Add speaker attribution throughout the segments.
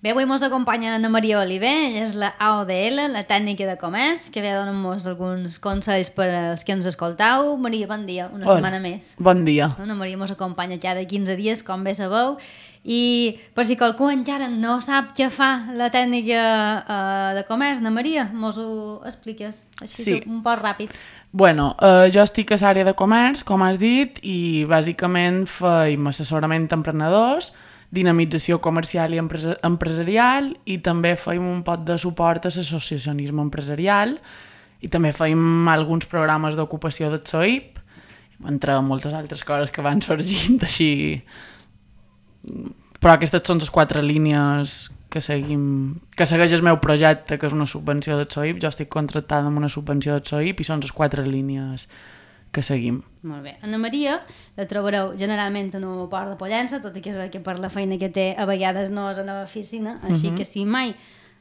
Speaker 1: Bé, avui ens acompanya Ana Maria Oliver, ella és la AODL, la tècnica de comerç, que ve a donar-nos alguns consells per als que ens escoltau. Maria, bon dia, una setmana més.
Speaker 2: Bon dia.
Speaker 1: Ana Maria ens acompanya cada 15 dies, com bé sabeu, i per si qualcú encara no sap què fa la tècnica de comerç, Ana Maria, mos ho expliques així
Speaker 2: Sí.
Speaker 1: un poc ràpid.
Speaker 2: Bueno, jo estic a l'àrea de comerç, com has dit, i bàsicament feim assessorament a emprenedors, dinamització comercial i empresarial, i també feim un pot de suport a l'associacionisme empresarial, i també feim alguns programes d'ocupació del SOIP, entre moltes altres coses que van sorgint així. Però aquestes són les 4 línies que segueix el meu projecte, que és una subvenció del SOIP. Jo estic contractada amb una subvenció del SOIP i són les 4 línies que seguim.
Speaker 1: Molt bé. Ana Maria la trobareu generalment en un port de Pollença, tot i que per la feina que té a vegades no és a l'oficina, així que si mai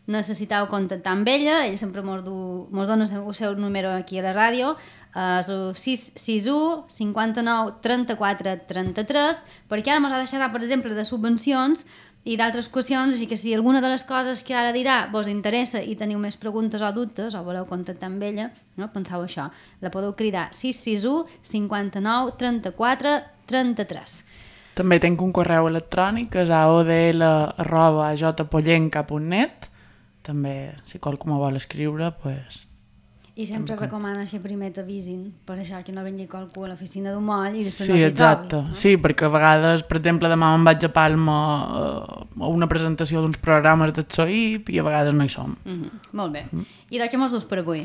Speaker 1: necessiteu contactar amb ella sempre mos dona el seu número aquí a la ràdio, és el 661 59 34 33, perquè ara ens ha deixat, per exemple, de subvencions i d'altres qüestions, així que si alguna de les coses que ara dirà vos interessa i teniu més preguntes o dubtes o voleu contactar amb ella, no? Penseu això, la podeu cridar 661 59 34 33.
Speaker 2: També tinc un correu electrònic, que és aodl@jpollenca.net. També, si qualcú me vol escriure, doncs...
Speaker 1: I sempre recomana que primer t'avisin, per això que no vingui qualcú a l'oficina d'un moll i després
Speaker 2: Sí,
Speaker 1: no t'hi
Speaker 2: exacte.
Speaker 1: trobi. No?
Speaker 2: Sí, perquè a vegades, per exemple, demà me'n vaig a Palma a una presentació d'uns programes del SOIP i a vegades no hi som.
Speaker 1: Molt bé. I de què mos dus per avui?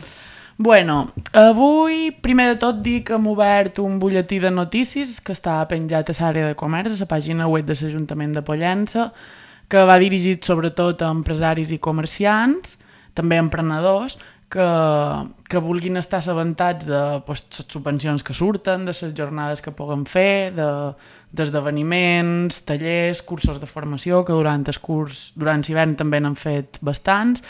Speaker 2: Bueno, avui, primer de tot, dic que hem obert un butlletí de notícies que està penjat a l'àrea de comerç, a la pàgina web de l'Ajuntament de Pollença, que va dirigit sobretot a empresaris i comerciants, també emprenedors, que vulguin estar assabentats de les subvencions que surten, de les jornades que puguem fer, d'esdeveniments, tallers, cursos de formació, que durant l'hivern també n'han fet bastants.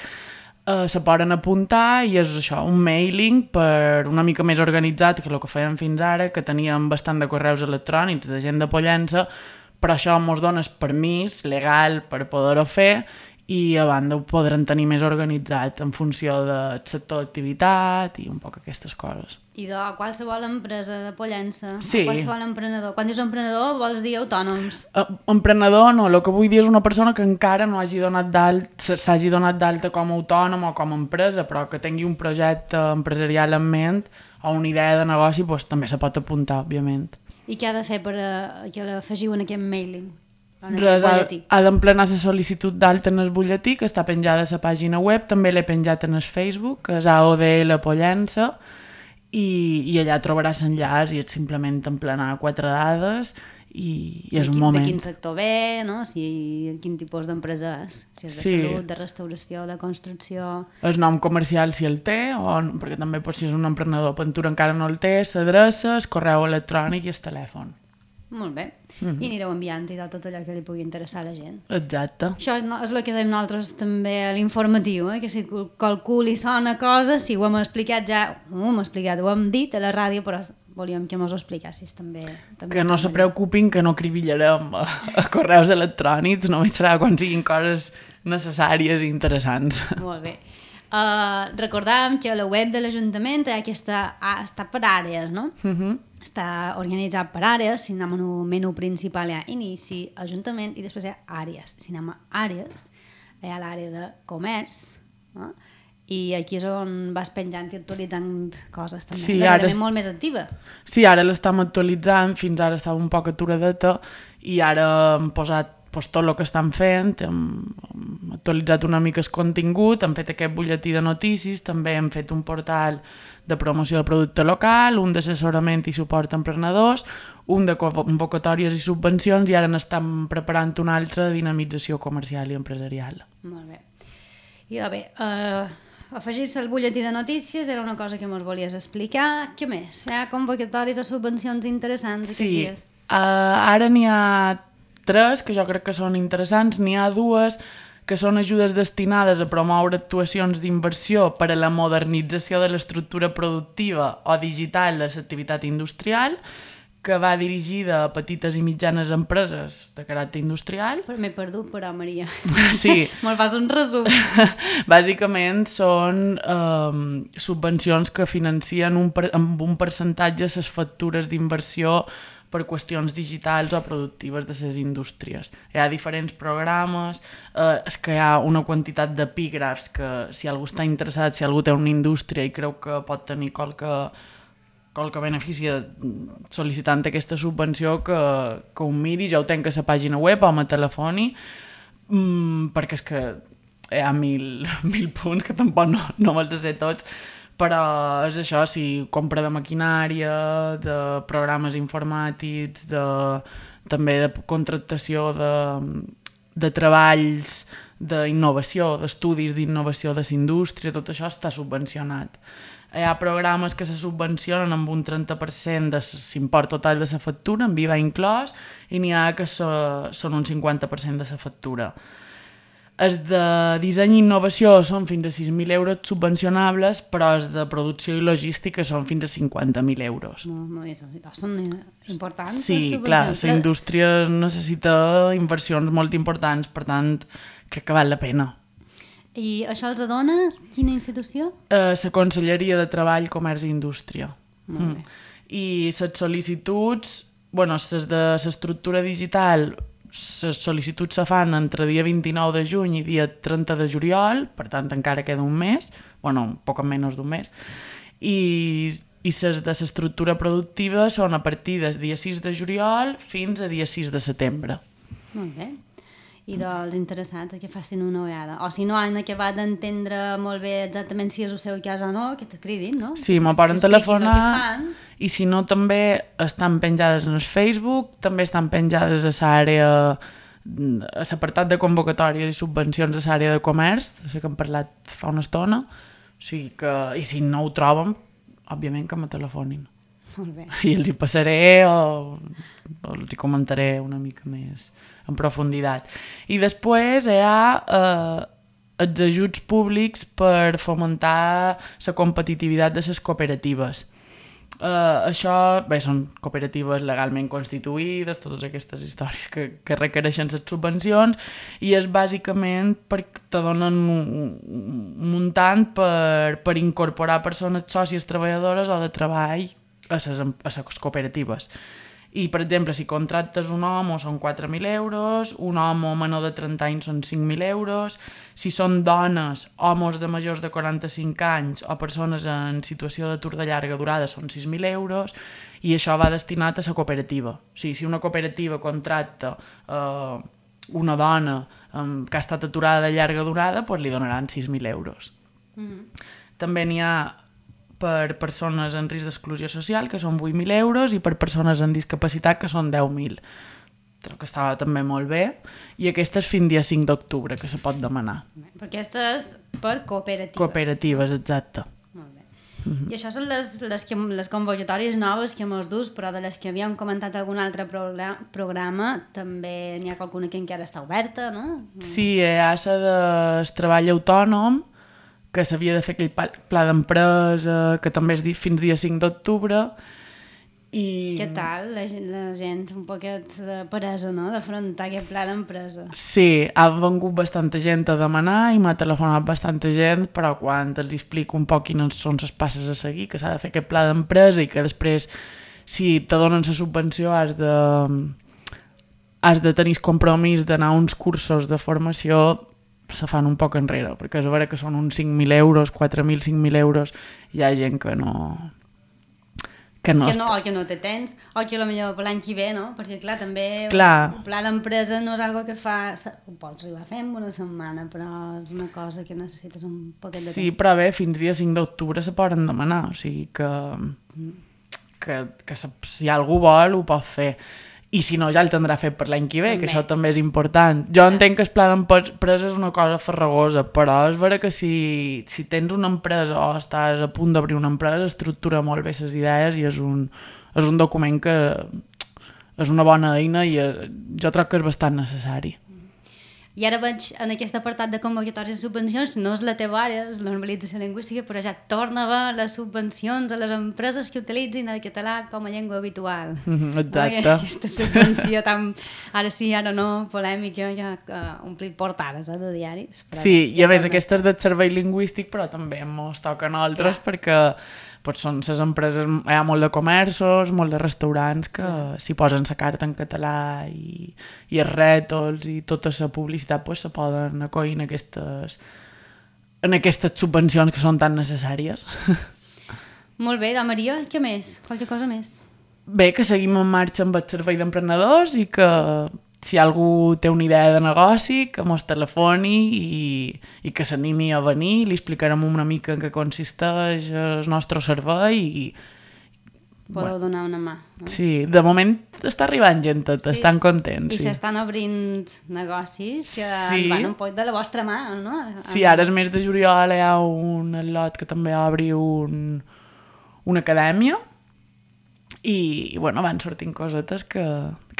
Speaker 2: Se poden apuntar i és això, un mailing per una mica més organitzat que el que fèiem fins ara, que teníem bastant de correus electrònics de gent de Pollença, però això ens dona el permís legal per poder-ho fer i a banda ho podran tenir més organitzat en funció del sector d'activitat i un poc aquestes coses.
Speaker 1: I de qualsevol empresa de Pollença,
Speaker 2: Sí.
Speaker 1: qualsevol emprenedor. Quan dius emprenedor vols dir autònoms?
Speaker 2: Emprenedor no, el que vull dir és una persona que encara no s'hagi donat d'alta com a autònom o com a empresa, però que tingui un projecte empresarial en ment o una idea de negoci, doncs també se pot apuntar, òbviament.
Speaker 1: I què ha de fer per que l'afegiu en aquest mailing?
Speaker 2: Res, ha d'emplenar la sol·licitud d'alta en el butlletí, que està penjada a la pàgina web, també l'he penjat en el Facebook, que és AODL Pollença, i allà trobaràs l'enllaç i és simplement emplenar 4 dades i és un moment.
Speaker 1: De quin sector ve, no? Quin tipus d'empresa és? Si és de salut, de restauració, de construcció...
Speaker 2: El nom comercial si el té, perquè també si és un emprenedor pintura encara no el té, l'adreça, el correu electrònic i el telèfon.
Speaker 1: Molt bé. I anireu enviant-hi tot allò que li pugui interessar a la gent.
Speaker 2: Exacte.
Speaker 1: Això és el que dèiem nosaltres també a l'informatiu, que si qualcú li sona cosa, si ho hem explicat ja, ho hem dit a la ràdio, però volíem que mos ho explicassis també
Speaker 2: que no se preocupin, que no cribillarem a correus electrònics, només serà quan siguin coses necessàries i interessants.
Speaker 1: Molt bé. Recordàvem que a la web de l'Ajuntament està per àrees, no? Està organitzat per àrees. Si anem al menú principal hi ha inici, Ajuntament, i després hi ha àrees. Si anem a àrees, hi ha l'àrea de comerç, no? I aquí és on vas penjant i actualitzant coses també.
Speaker 2: Sí,
Speaker 1: darrerament molt més activa.
Speaker 2: Sí, ara l'estem actualitzant, fins ara estava un poc aturadeta i ara hem posat tot el que estan fent, hem actualitzat una mica el contingut, hem fet aquest butlletí de notícies, també hem fet un portal de promoció de producte local, un d'assessorament i suport a emprenedors, un de convocatòries i subvencions i ara n'estem preparant un altre de dinamització comercial i empresarial.
Speaker 1: Molt bé. I bé, afegir-se al butlletí de notícies era una cosa que ens volies explicar. Què més? Hi ha convocatòries o subvencions interessants aquests dies?
Speaker 2: Sí, ara n'hi ha 3 que jo crec que són interessants, n'hi ha 2 que són ajudes destinades a promoure actuacions d'inversió per a la modernització de l'estructura productiva o digital de l'activitat industrial, que va dirigida a petites i mitjanes empreses de caràcter industrial.
Speaker 1: Però m'he perdut, però, Maria.
Speaker 2: Sí.
Speaker 1: Me'l fas un resum.
Speaker 2: Bàsicament són subvencions que financien amb un percentatge les factures d'inversió per qüestions digitals o productives de les indústries. Hi ha diferents programes, és que hi ha una quantitat d'epígrafs que si algú està interessat, si algú té una indústria i creu que pot tenir qualque benefici sol·licitant aquesta subvenció, que ho miri. Jo ho tenc a la pàgina web o a telefoni, perquè és que hi ha mil punts que tampoc no me'ls sé tots, però és això, si compra de maquinària, de programes informàtics, també de contractació de treballs d'innovació, d'estudis d'innovació de la indústria, tot això està subvencionat. Hi ha programes que se subvencionen amb un 30% de l'import total de la factura, amb IVA inclòs, i n'hi ha que són un 50% de la factura. Els de disseny i innovació són fins a 6.000 euros subvencionables, però els de producció i logística són fins a 50.000 euros.
Speaker 1: Són importants.
Speaker 2: Sí, clar, la indústria necessita inversions molt importants, per tant, crec que val la pena.
Speaker 1: I això els dona quina institució?
Speaker 2: La Conselleria de Treball, Comerç i Indústria.
Speaker 1: Molt bé.
Speaker 2: I les sol·licituds, les de l'estructura digital, les sol·licituds se fan entre dia 29 de juny i dia 30 de juliol, per tant encara queda un mes, poc menys d'un mes, i les de l'estructura productiva són a partir del dia 6 de juliol fins a dia 6 de setembre.
Speaker 1: Molt bé. I dels interessats que facin una ullada. O si no han acabat d'entendre molt bé exactament si és el seu cas o no, que te cridin, no?
Speaker 2: Sí, m'ho poden telefonar. I si no, també estan penjades en el Facebook, també estan penjades a l'àrea, a l'apartat de convocatòries i subvencions de l'àrea de comerç, de que hem parlat fa una estona. O sigui que, i si no ho troben, òbviament que me telefonin.
Speaker 1: Molt bé.
Speaker 2: I els hi passaré o els hi comentaré una mica més en profunditat. I després hi ha els ajuts públics per fomentar la competitivitat de les cooperatives. Això, són cooperatives legalment constituïdes, totes aquestes històries que requereixen les subvencions, i és bàsicament perquè te donen un muntant per incorporar persones sòcies treballadores o de treball a les cooperatives. I, per exemple, si contractes un home són 4.000 euros, un home menor de 30 anys són 5.000 euros, si són dones, homes de majors de 45 anys o persones en situació d'atur de llarga durada són 6.000 euros, i això va destinat a la cooperativa. O sigui, si una cooperativa contracta una dona que ha estat aturada de llarga durada, doncs li donaran 6.000 euros. També n'hi ha per persones en risc d'exclusió social, que són 8.000 euros, i per persones amb discapacitat, que són 10.000. Crec que estava també molt bé. I aquesta és fins dia 5 d'octubre, que se pot demanar.
Speaker 1: Però aquesta és per cooperatives.
Speaker 2: Cooperatives, exacte.
Speaker 1: Molt bé. I això són les convocatòries noves que mos dus, però de les que havíem comentat algun altre programa, també n'hi ha qualcuna que encara està oberta, no?
Speaker 2: Sí, hi ha la del treball autònom, que s'havia de fer aquell pla d'empresa, que també és fins dia 5 d'octubre.
Speaker 1: Què tal? La gent un poquet de peresa, no?, d'afrontar aquest pla d'empresa.
Speaker 2: Sí, ha vengut bastanta gent a demanar i m'ha telefonat bastanta gent, però quan els explico un poc quines són les passes a seguir, que s'ha de fer aquest pla d'empresa i que després, si te donen la subvenció, has de tenir el compromís d'anar a uns cursos de formació, se fan un poc enrere, perquè és a veure que són uns 5.000 euros, 4.000, 5.000 euros, hi ha gent que no
Speaker 1: té temps, o que potser per l'any que ve, no? Perquè clar, també el pla d'empresa no és una cosa que ho pots arribar a fer en una setmana, però és una cosa que necessites un poquet de temps.
Speaker 2: Sí, però bé, fins dia 5 d'octubre se poden demanar, o sigui que si algú vol ho pot fer. I si no, ja el tindrà fet per l'any que ve, que això també és important. Jo entenc que el pla d'empresa és una cosa farragosa, però és vera que si tens una empresa o estàs a punt d'obrir una empresa, estructura molt bé les idees i és un document que és una bona eina i jo crec que és bastant necessari.
Speaker 1: I ara veig en aquest apartat de convocatòries i subvencions, no és la teva àrea, és la normalització lingüística, però ja torna a haver les subvencions a les empreses que utilitzin el català com a llengua habitual.
Speaker 2: Exacte.
Speaker 1: Aquesta subvenció tan, ara sí, ara no, polèmica, ja omplit portades de diaris.
Speaker 2: Sí, i a més aquesta és del servei lingüístic, però també ens toquen altres perquè pues són les empreses, hi ha molt de comerços, molt de restaurants que s'hi posen la carta en català i els rètols i tota la publicitat pues, se poden acollir en aquestes subvencions que són tan necessàries.
Speaker 1: Molt bé, Maria, què més? Qualque cosa més?
Speaker 2: Bé, que seguim en marxa amb el servei d'emprenedors i que si algú té una idea de negoci, que mos telefoni i que s'animi a venir, li explicarem una mica en què consisteix el nostre servei i...
Speaker 1: Podeu donar una mà. No?
Speaker 2: Sí, de moment està arribant gent, estan contents.
Speaker 1: I s'estan obrint negocis que van un poc de la vostra mà, no?
Speaker 2: Sí, ara el mes de juliol hi ha un lot que també obri una acadèmia i bueno, van sortint cosetes que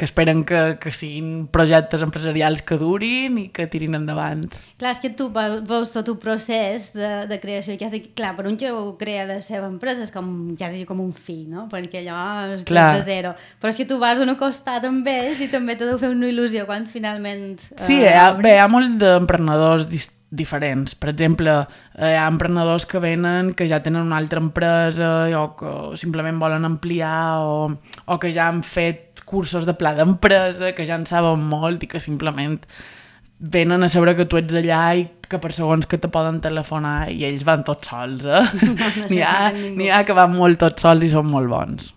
Speaker 2: esperen que siguin projectes empresarials que durin i que tirin endavant.
Speaker 1: Clar, és que tu veus tot un procés de creació, quasi, clar, per un que crea la seva empresa és quasi com un fill, no? Perquè allò és de zero. Però és que tu vas a un costat amb ells i també t'ha de fer una il·lusió quan finalment...
Speaker 2: Sí, hi ha molt d'emprenedors diferents. Per exemple, hi ha emprenedors que venen que ja tenen una altra empresa o que simplement volen ampliar o que ja han fet cursos de pla d'empresa, que ja en saben molt i que simplement venen a saber que tu ets allà i que per segons que te poden telefonar i ells van tots sols, N'hi ha que van molt tots sols i són molt bons.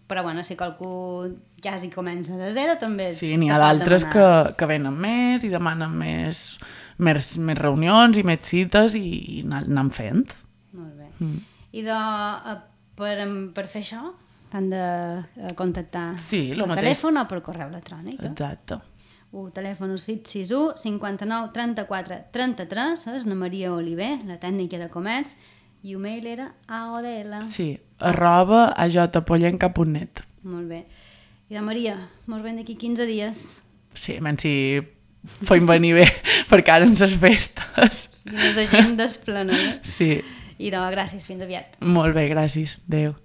Speaker 1: Però bueno, si qualcú quasi comença de zero també...
Speaker 2: Sí, n'hi ha d'altres que venen més i demanen més reunions i més cites i anem fent.
Speaker 1: Molt bé. I per fer això t'han de contactar per telèfon o per correu electrònic.
Speaker 2: Exacte.
Speaker 1: El telèfon és 661 59 34 33, és la Maria Oliver, la tècnica de comerç, i el mail era aodl.
Speaker 2: Sí, @ajpollenca.net.
Speaker 1: Molt bé. I de Maria, mos veiem d'aquí 15 dies.
Speaker 2: Sí, menys si podem venir bé, perquè ara en les festes.
Speaker 1: I les agendes plenes.
Speaker 2: Sí.
Speaker 1: I doncs, gràcies, fins aviat.
Speaker 2: Molt bé, gràcies. Adéu.